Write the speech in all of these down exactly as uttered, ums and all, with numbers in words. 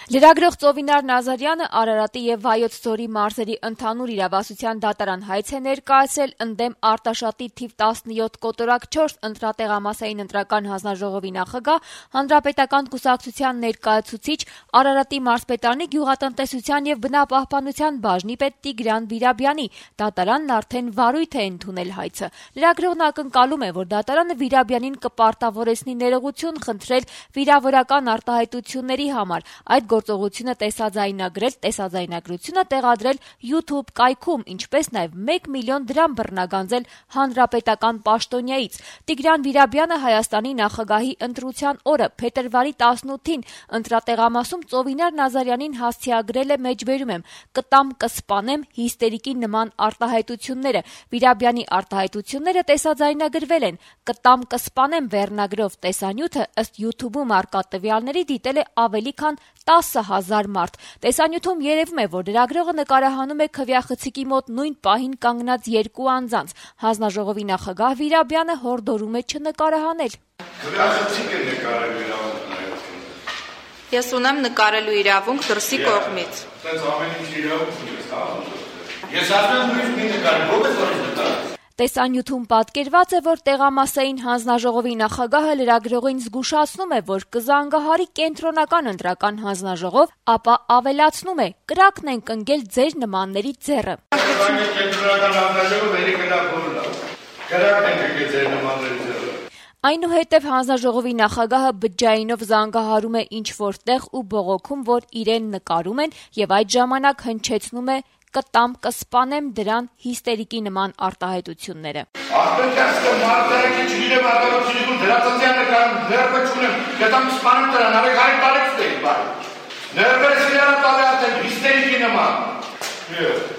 Լրագրող Ծովինար Նազարյանը Արարատի եւ Վայոց ձորի մարզերի ընդհանուր իրավասության դատարան հայց է ներկայացրել ընդդեմ Արտաշատի թիվ տասնյոթ կոտորակ չորս ընտրատեղամասային ընտրական հանձնաժողովի նախագահ, հանրապետական կուսակցության ներկայացուցիչ, Արարատի մարզպետարանի գյուղատնտեսության եւ բնապահպանության բաժնի պետ Տիգրան Վիրաբյանի։ Դատարանն արդեն վարույթ է ընդունել հայցը։ Լրագրողն ակնկալում է, որ դատարանը Վիրաբյանին կպարտավորեցնի ներողություն խնդրել վիրավորական արտահայտությունների համար։ Այդ գործողությունը տեսաձայնագրել, տեսաձայնագրությունը տեղադրել YouTube կայքում, ինչպես նաև մեկ միլիոն դրամ բռնագանձել հանրապետական պաշտոնյայից։ Տիգրան Վիրաբյանը Հայաստանի նախագահի ընտրության օրը փետրվարի տասնութին ընտրատեղամասում Ծովինար Նազարյանին հասցեագրել է, մեջբերում եմ, կտամ կսպանեմ հիստերիկի նման արտահայտությունները։ Վիրաբյանի արտահայտությունները տեսաձայնագրվել են։ Կտամ կսպանեմ վերնագրով տեսանյութը ըստ YouTube-ում առկա տվյալների դիտել է ավելի քան տասը հազար մարդ։ Տեսանյութում երևում է, որ լրագրողը նկարահանում է քվեախցիկի մոտ նույն պահին կանգնած երկու անձանց։ Հանձնաժողովի նախագահ Վիրաբյանը հորդորում է չնկարահանել։ Քվեախցիկ է նկարելու իրավունք նայած։ Ես ունեմ նկարելու իրավունք դրսի կողմից։ Այդպես ամեն ինչ իրավունք ունես, հա։ Ես ասում եմ, մի նկարել, ո՞վ է որից նկարել։ Տեսանյութում պատկերված է, որ տեղամասային հանձնաժողովի նախագահը լրագրողին զգուշացնում է, որ կզանգահարի կենտրոնական ընտրական հանձնաժողով, ապա ավելացնում է. կրակն ենք ընկել ձեր նմանների ձեռը։ Կենտրոնական հանձնաժողովը վերի կրակ բոլոր։ Կրակն ենք ընկել ձեր նմանների ձեռը։ Այնուհետև հանձնաժողովի նախագահը բջջայինով զանգահարում է ինչ-որ տեղ ու բողոքում, որ իրեն նկարում են, եւ այդ ժամանակ հնչեցնում է կտամ կսպանեմ դրան հիստերիկի նման արտահայտությունները։ Արտակարգը մարդարակի չգիտեմ արտադրությունում դրացիան նկարում ներբը չունեմ, կտամ կսպանեմ դրան, արեք հայտ տարեք ստեի, բայ։ Ներբերս իրանը տալյատեն հիստերիկի նման։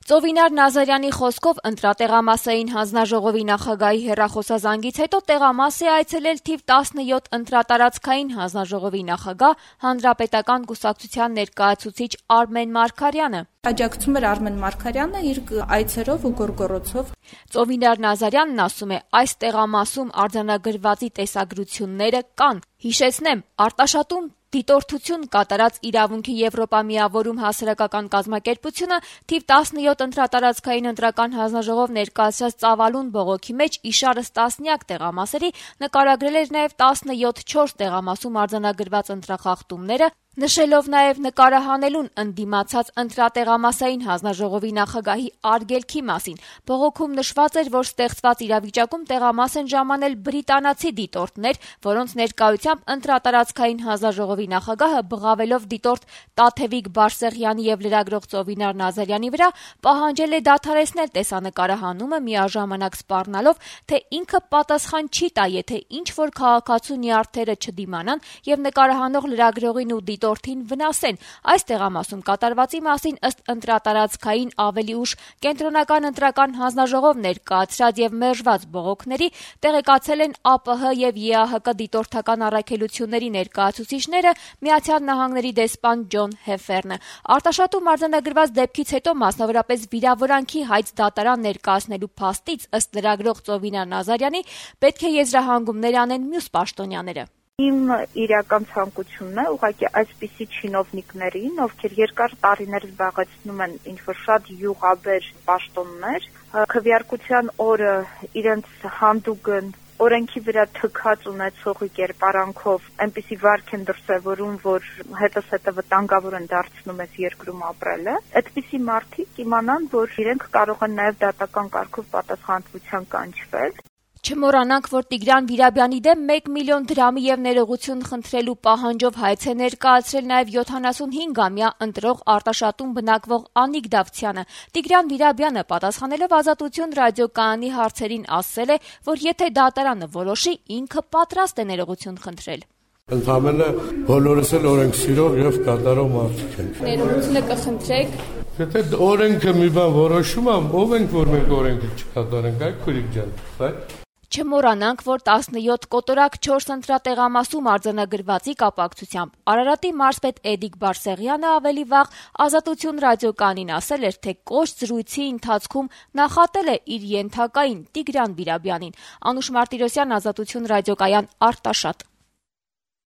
Ծովինար Նազարյանի խոսքով ընտրատեղամասային հանձնաժողովի նախագահի հեռախոսազանգից հետո տեղամաս է այցելել թիվ տասնյոթ ընտրատարածքային հանձնաժողովի նախագահ, հանրապետական կուսակցության ներկայացուցիչ Արմեն Մարգարյանը։ Աջակցում էր Արմեն Մարգարյանը իր այցերով ու գորգորոցով։ Ծովինար Նազարյանն ասում է, այս տեղամասում արձանագրվածի տեսագրությունները կան։ Հիշեցնեմ, Արտաշատում դիտորդություն կատարած իրավունքի Եվրոպամիավորում հասարակական կազմակերպությունը թիվ տասնյոթ ընտրատարածքային ընտրական հանձնաժողով ներկայացրած ծավալուն բողոքի մեջ իշարս տասնյակ տեղամասերի նկարագրել էր նաև տասնյոթ չորս տեղամասում արձանագրված ընտրախախտումները, նշելով նաև նկարահանելուն ընդդիմացած ընտրատեղամասային հանձնաժողովի նախագահի արգելքի մասին։ Բողոքում նշված էր, որ ստեղծված իրավիճակում տեղամաս են ժամանել բրիտանացի դիտորդներ, որոնց ներկայությամբ ընտրատարածքային հանձնաժողովի նախագահը բղավելով դիտորդ Տաթևիկ Բարսեղյանի եւ լրագրող Ծովինար Նազարյանի վրա պահանջել է դադարեցնել տեսանկարահանումը, միաժամանակ սպառնալով, թե ինքը պատասխան չի տա, եթե ինչ որ քաղաքացու նյարդերը չդիմանան եւ նկարահանող լրագրողին ու դիտորդին վնասեն։ Այս տեղամասում կատարվածի մասին ըստ ընտրատարածքային ավելի ուշ կենտրոնական ընտրական հանձնաժողով ներկայացրած եւ մերժված բողոքների տեղեկացել են ԱՊՀ եւ ԵԱՀԿ դիտորդական առաքելությունների ներկայացուցիչները, Միացյալ Նահանգների դեսպան Ջոն Հեֆերնը։ Արտաշատում արձանագրված դեպքից հետո մասնավորապես վիրավորանքի հայց դատարան ներկայացնելու փաստից ըստ լրագրող Ծովինար Նազարյանի պետք է եզրահանգումներ անեն մյուս պաշտոնյաները։ Իմ իրական ցանկությունն է ուղղակի այսպիսի չինովնիկներին, ովքեր երկար տարիներ զբաղեցնում են ինչ-որ շատ յուղաբեր պաշտոններ, քվեարկության օրը իրենց հանդուգն օրենքի վրա թքած ունեցողի կերպարանքով այնպիսի վարք են դրսևորում, որ հետս հետը վտանգավոր են դարձնում այս երկրում ապրելը, այդպիսի մարդիկ իմանան, որ իրենք կարող են նաև դատական կարգով պատասխանատվության կանչվել։ Չմոռանանք, որ Տիգրան Վիրաբյանի դեմ մեկ միլիոն դրամի եւ ներողություն խնդրելու պահանջով հայց է ներկայացրել նաեւ յոթանասունհինգամյա ընտրող Արտաշատում բնակվող Անիկ Դավթյանը։ Տիգրան Վիրաբյանը պատասխանելով Ազատություն ռադիոկայանի հարցերին ասել է, որ եթե դատարանը որոշի, ինքը պատրաստ է ներողություն խնդրել։ Ընդհանրապես բոլորս էլ օրենք սիրող եւ կատարող մարդիկ ենք։ Ներողությունը կխնդրեք։ Եթե օրենքը մի բան որոշում ամ, ով ենք որ մենք օրենքը չկատարենք, այ քուրիկ ջան, այ Չմոռանանք, որ տասնյոթ կոտորակ չորս ընտրատեղամասում արձանագրվածի կապակցությամբ Արարատի մարզպետ Էդիկ Բարսեղյանը ավելի վաղ Ազատություն ռադիոկայանին ասել էր, թե կոշտ զրույցի ընթացքում նախատել է իր ենթակային Տիգրան Վիրաբյանին։ Անուշ Մարտիրոսյան, Ազատություն ռադիոկայան, Արտաշատ։